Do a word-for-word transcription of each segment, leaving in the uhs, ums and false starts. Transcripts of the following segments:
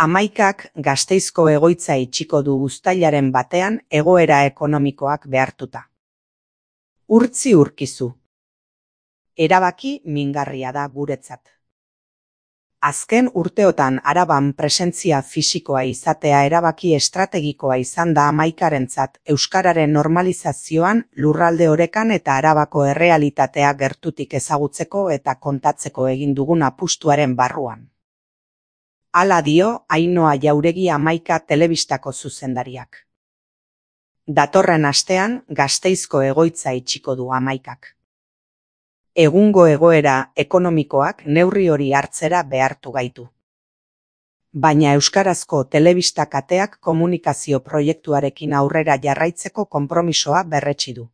Hamaikak Gasteizko egoitza itxiko du uztailaren batean egoera ekonomikoak behartuta. Urtzi urkizu. Erabaki mingarria da guretzat. Azken urteotan Araban presentzia fisikoa izatea erabaki estrategikoa izan da hamaikarentzat euskararen normalizazioan, lurralde orekan eta Arabako errealitatea gertutik ezagutzeko eta kontatzeko egin dugun apustuaren barruan. Hala dio Ainhoa Jauregi Hamaika telebistako zuzendariak. Datorren astean Gasteizko egoitza itxiko du Hamaikak. Egungo egoera ekonomikoak neurri hori hartzera behartu gaitu. Baina euskarazko telebista kateak komunikazio proiektuarekin aurrera jarraitzeko konpromisoa berretsi du.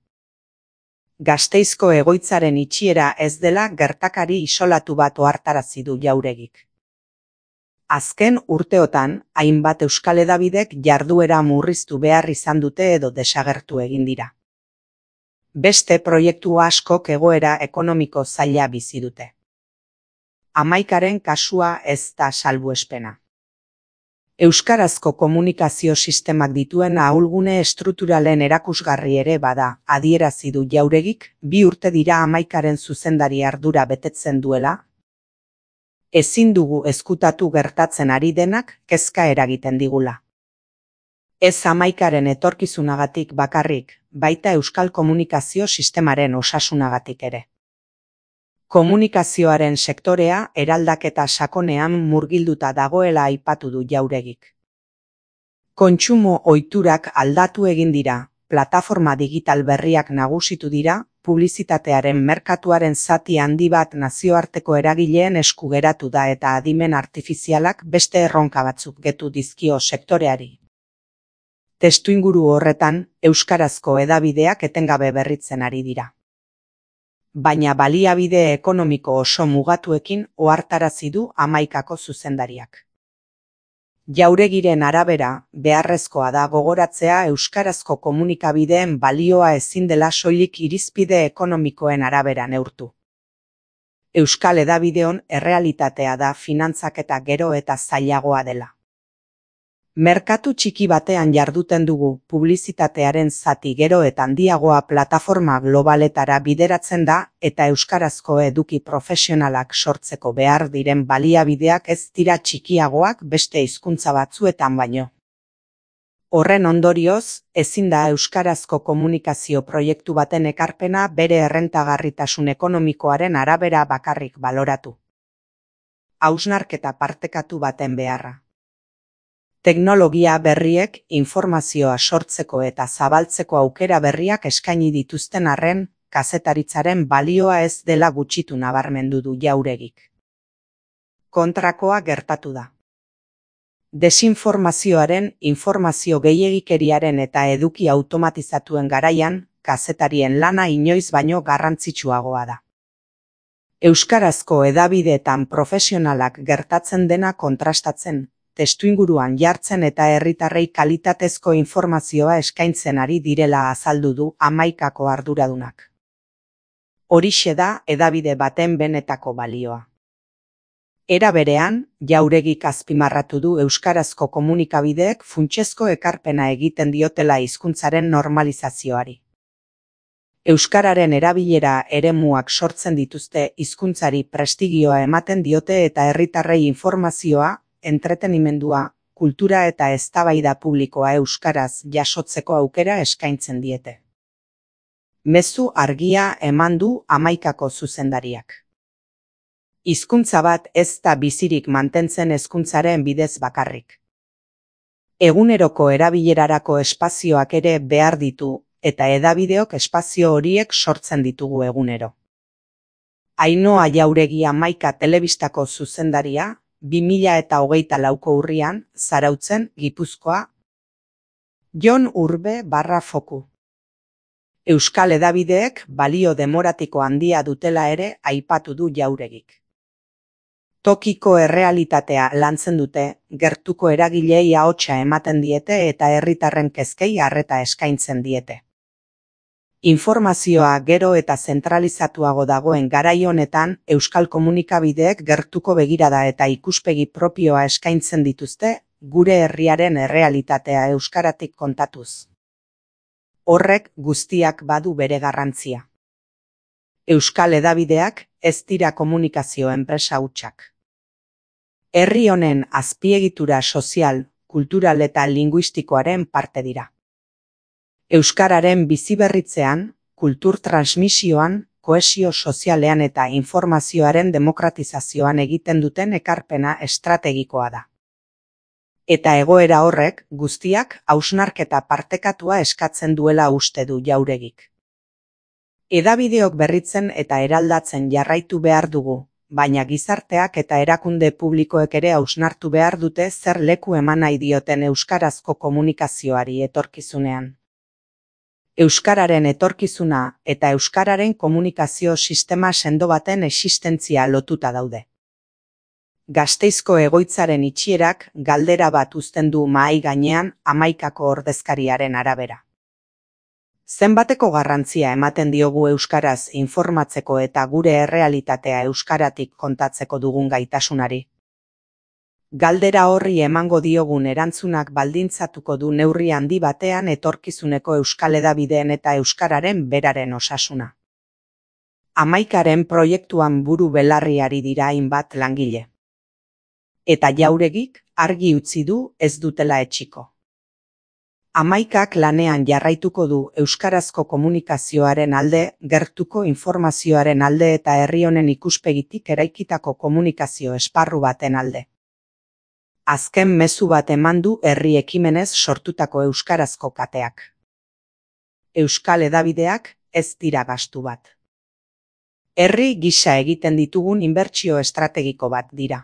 Gasteizko egoitzaren itxiera ez dela gertakari isolatu bat ohartarazi du Jauregik. Azken urteotan, hainbat euskal hedabidek jarduera murriztu behar izan dute edo desagertu egin dira. Beste proiektu askok egoera ekonomiko zaila bizi dute. Hamaikaren kasua ez da salbuespena. Euskarazko komunikazio sistemak dituen ahulgune estrukturalen erakusgarri ere bada, adierazi du Jauregik, bi urte dira Hamaikaren zuzendari ardura betetzen duela. Ezin dugu ezkutatu gertatzen ari denak kezka eragiten digula. Ez Hamaikaren etorkizunagatik bakarrik, baita euskal komunikazio sistemaren osasunagatik ere. Komunikazioaren sektorea eraldaketa sakonean murgilduta dagoela aipatu du Jauregik. Kontsumo ohiturak aldatu egin dira, plataforma digital berriak nagusitu dira, publizitatearen merkatuaren zati handi bat nazioarteko eragileen esku geratu da eta adimen artifizialak beste erronka batzuk getu dizkio sektoreari. Testuinguru horretan, euskarazko hedabideak etengabe berritzen ari dira. Baina baliabide ekonomiko oso mugatuekin ohartarazi du Hamaikako zuzendariak. Jauregiren arabera, beharrezkoa da gogoratzea euskarazko komunikabideen balioa ezin dela soilik irizpide ekonomikoen arabera neurtu. Euskal hedabideon errealitatea da finantzaketa gero eta zailagoa dela. Merkatu txiki batean jarduten dugu, publizitatearen zati gero eta handiagoa plataforma globaletara bideratzen da eta euskarazko eduki profesionalak sortzeko behar diren baliabideak ez dira txikiagoak beste hizkuntza batzuetan baino. Horren ondorioz, ezin da euskarazko komunikazio proiektu baten ekarpena bere errentagarritasun ekonomikoaren arabera bakarrik baloratu. Hausnarketa partekatu baten beharra. Teknologia berriek informazioa sortzeko eta zabaltzeko aukera berriak eskaini dituzten arren, kazetaritzaren balioa ez dela gutxitu nabarmendu du Jauregik. Kontrakoa gertatu da. Desinformazioaren, informazio gehiegikeriaren eta eduki automatizatuen garaian, kazetarien lana inoiz baino garrantzitsuagoa da. Euskarazko hedabideetan profesionalak gertatzen dena kontrastatzen, testuinguruan jartzen eta herritarrei kalitatezko informazioa eskaintzen ari direla azaldu du Hamaikako arduradunak. Horixe da hedabide baten benetako balioa. Era berean, Jauregik azpimarratu du euskarazko komunikabideek funtsezko ekarpena egiten diotela hizkuntzaren normalizazioari. Euskararen erabilera eremuak sortzen dituzte hizkuntzari prestigioa ematen diote eta herritarrei informazioa, entretenimendua, kultura eta eztabaida publikoa euskaraz jasotzeko aukera eskaintzen diete. Mezu argia eman du Hamaikako zuzendariak. Hizkuntza bat ez da bizirik mantentzen hezkuntzaren bidez bakarrik. Eguneroko erabilerarako espazioak ere behar ditu, eta hedabideok espazio horiek sortzen ditugu egunero. Ainhoa Jauregi Hamaika telebistako zuzendaria, bi mila eta hogeita lauko urrian, Zarautzen, Gipuzkoa. Jon Urbe barra foku. Euskal hedabideek balio demoratiko handia dutela ere aipatu du Jauregik. Tokiko errealitatea lantzen dute, gertuko eragilei ahotsa ematen diete eta herritarren kezkei arreta eskaintzen diete. Informazioa gero eta zentralizatuago dagoen garai honetan, euskal komunikabideek gertuko begirada eta ikuspegi propioa eskaintzen dituzte, gure herriaren errealitatea euskaratik kontatuz. Horrek guztiak badu bere garrantzia. Euskal hedabideak ez dira komunikazio enpresa hutsak. Herri honen azpiegitura sozial, kultural eta linguistikoaren parte dira. Euskararen biziberritzean, kultur transmisioan, kohesio sozialean eta informazioaren demokratizazioan egiten duten ekarpena estrategikoa da. Eta egoera horrek guztiak hausnarketa partekatua eskatzen duela uste du Jauregik. Hedabideok berritzen eta eraldatzen jarraitu behar dugu, baina gizarteak eta erakunde publikoek ere hausnartu behar dute zer leku eman nahi dioten euskarazko komunikazioari etorkizunean. Euskararen etorkizuna eta euskararen komunikazio sistema sendo baten existentzia lotuta daude. Gasteizko egoitzaren itxierak galdera bat uzten du mahai gainean hamaikako ordezkariaren arabera. Zenbateko garrantzia ematen diogu euskaraz informatzeko eta gure errealitatea euskaratik kontatzeko dugun gaitasunari? Galdera horri emango diogun erantzunak baldintzatuko du neurri handi batean etorkizuneko euskal hedabideen eta euskararen beraren osasuna. Hamaikaren proiektuan buru belarriari dira hainbat langile. Eta Jauregik argi utzi du ez dutela etxiko. Hamaikak lanean jarraituko du euskarazko komunikazioaren alde, gertuko informazioaren alde eta herri honen ikuspegitik eraikitako komunikazio esparru baten alde. Azken mezu bat eman du herri ekimenez sortutako euskarazko kateak. Euskal hedabideak ez dira gastu bat. Herri gisa egiten ditugun inbertsio estrategiko bat dira.